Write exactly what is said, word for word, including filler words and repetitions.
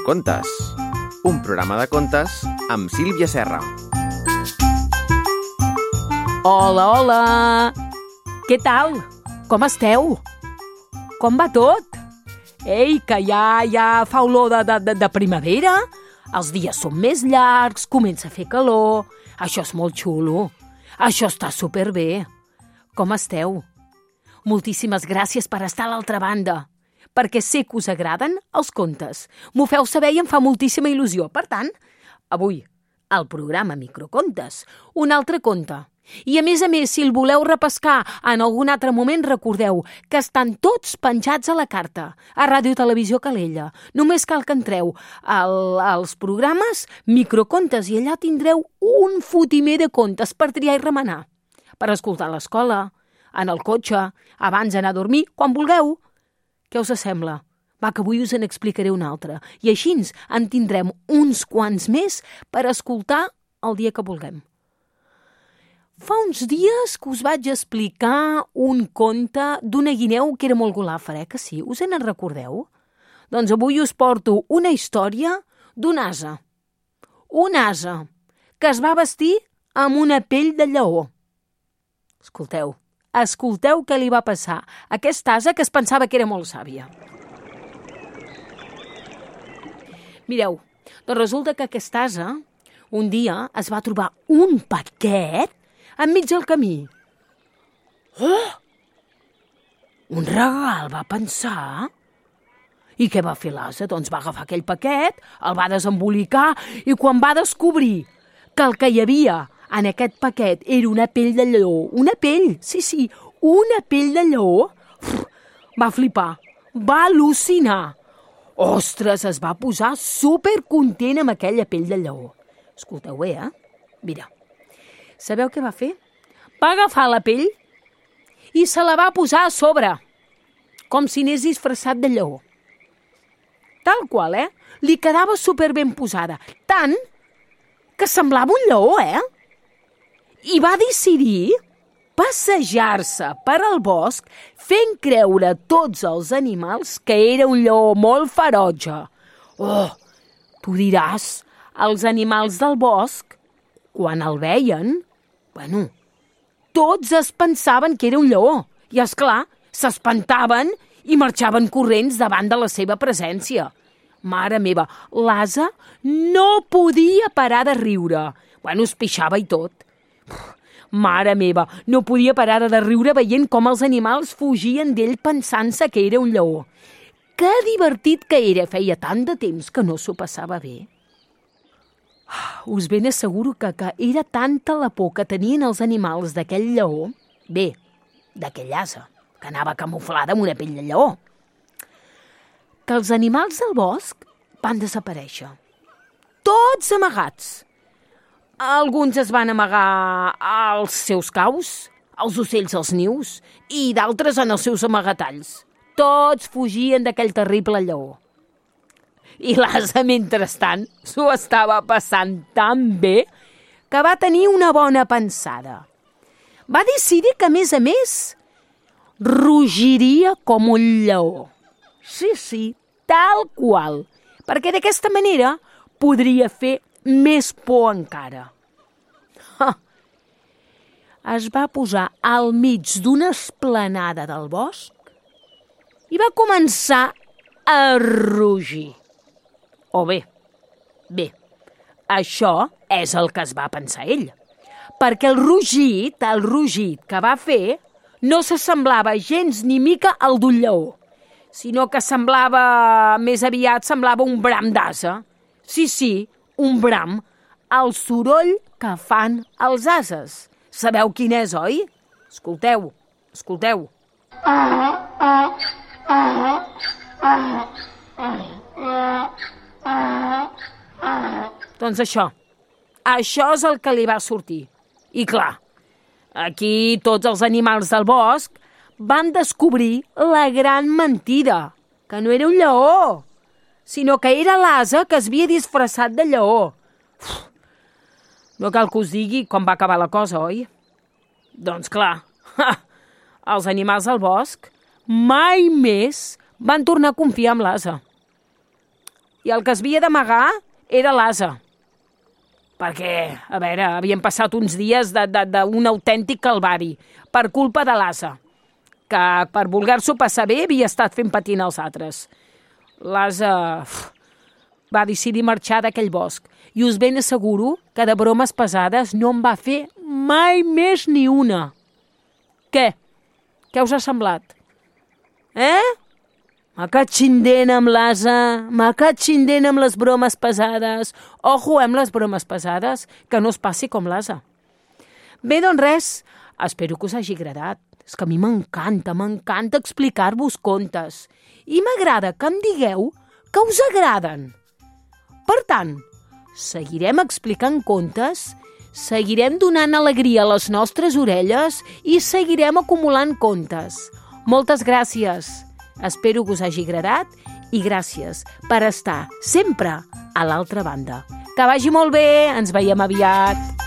Microcontes, un programa de contes amb Sílvia Serra. Hola, hola! Què tal? Com esteu? Com va tot? Ei, que ja, ja fa olor de, de, de primavera? Els dies són més llargs, comença a fer calor. Això és molt xulo. Això està superbé. Com esteu? Moltíssimes gràcies per estar a l'altra banda, perquè sé que us agraden els contes. M'ho feu saber i em fa moltíssima il·lusió. Per tant, avui, al programa Microcontes, un altre conte. I a més a més, si el voleu repescar en algun altre moment, recordeu que estan tots penjats a la carta, a Ràdio Televisió Calella. Només cal que entreu al, als programes Microcontes i allà tindreu un fotimer de contes per triar i remenar. Per escoltar a l'escola, en el cotxe, abans d'anar a dormir, quan vulgueu. Què us sembla? Va, que avui us en explicaré un altre. I així en tindrem uns quants més per escoltar el dia que vulguem. Fa uns dies que us vaig explicar un conte d'una guineu que era molt golàfer, eh? Que sí? Us en recordeu? Doncs avui us porto una història d'un ase. Un ase que es va vestir amb una pell de lleó. Escolteu, escolteu què li va passar a aquest ase que es pensava que era molt sàvia. Mireu, doncs resulta que aquest ase un dia es va trobar un paquet enmig del camí. Oh! Un regal, va pensar. I què va fer l'ase? Doncs va agafar aquell paquet, el va desembolicar i quan va descobrir que el que hi havia en aquest paquet era una pell de lleó, una pell, sí, sí, una pell de lleó, va flipar, va al·lucinar. Ostres, es va posar supercontent amb aquella pell de lleó. Escolteu bé, eh? Mira, sabeu què va fer? Va agafar la pell i se la va posar a sobre, com si anés disfressat de lleó. Tal qual, eh? Li quedava superben posada, tant que semblava un lleó, eh? I va decidir passejar-se per al bosc fent creure a tots els animals que era un lleó molt ferotge. Oh, tu diràs, els animals del bosc, quan el veien, bueno, tots es pensaven que era un lleó. I, esclar, s'espantaven i marxaven corrents davant de la seva presència. Mare meva, l'ase no podia parar de riure. Bueno, es pixava i tot. Mare meva, no podia parar de riure veient com els animals fugien d'ell pensant-se que era un lleó. Que divertit que era, feia tant de temps que no s'ho passava bé. Us ben asseguro que, que era tanta la por que tenien els animals d'aquell lleó, bé, d'aquell ase, que anava camuflada amb una pell de lleó, que els animals del bosc van desaparèixer. Tots amagats. Alguns es van amagar als seus caus, els ocells als nius, i d'altres en els seus amagatalls. Tots fugien d'aquell terrible lleó. I l'ase, mentrestant, s'ho estava passant tan bé que va tenir una bona pensada. Va decidir que, a més a més, rugiria com un lleó. Sí, sí, tal qual, perquè d'aquesta manera podria fer més por encara. Ha! Es va posar al mig d'una esplanada del bosc i va començar a rugir. O bé, bé, això és el que es va pensar ell, perquè el rugit, el rugit que va fer no s'assemblava gens ni mica al d'un lleó, sinó que semblava, més aviat semblava un bram d'ase. Sí, sí, un bram, el soroll que fan els ases. Sabeu quin és, oi? Escolteu, escolteu. Doncs això, això és el que li va sortir. I clar, aquí tots els animals del bosc van descobrir la gran mentida, que no era un lleó, sinó que era l'ase que es havia disfressat de lleó. Uf, no cal que us digui com va acabar la cosa, oi? Doncs clar, ha, els animals del bosc mai més van tornar a confiar en l'ase. i el que es havia d'amagar era l'ase. Perquè, a veure, havien passat uns dies d'un autèntic calvari per culpa de l'ase, que per voler-s'ho passar bé havia estat fent patir els altres. L'ase va decidir marxar d'aquell bosc i us ben asseguro que de bromes pesades no en va fer mai més ni una. Què? Què us ha semblat? Eh? M'ha catxindent amb l'ase, m'ha catxindent amb les bromes pesades. Ojo amb les bromes pesades, que no es passi com l'ase. Bé, doncs res, espero que us hagi agradat. És que a mi m'encanta, m'encanta explicar-vos contes. I m'agrada que em digueu que us agraden. Per tant, seguirem explicant contes, seguirem donant alegria a les nostres orelles i seguirem acumulant contes. Moltes gràcies. Espero que us hagi agradat i gràcies per estar sempre a l'altra banda. Que vagi molt bé, ens veiem aviat.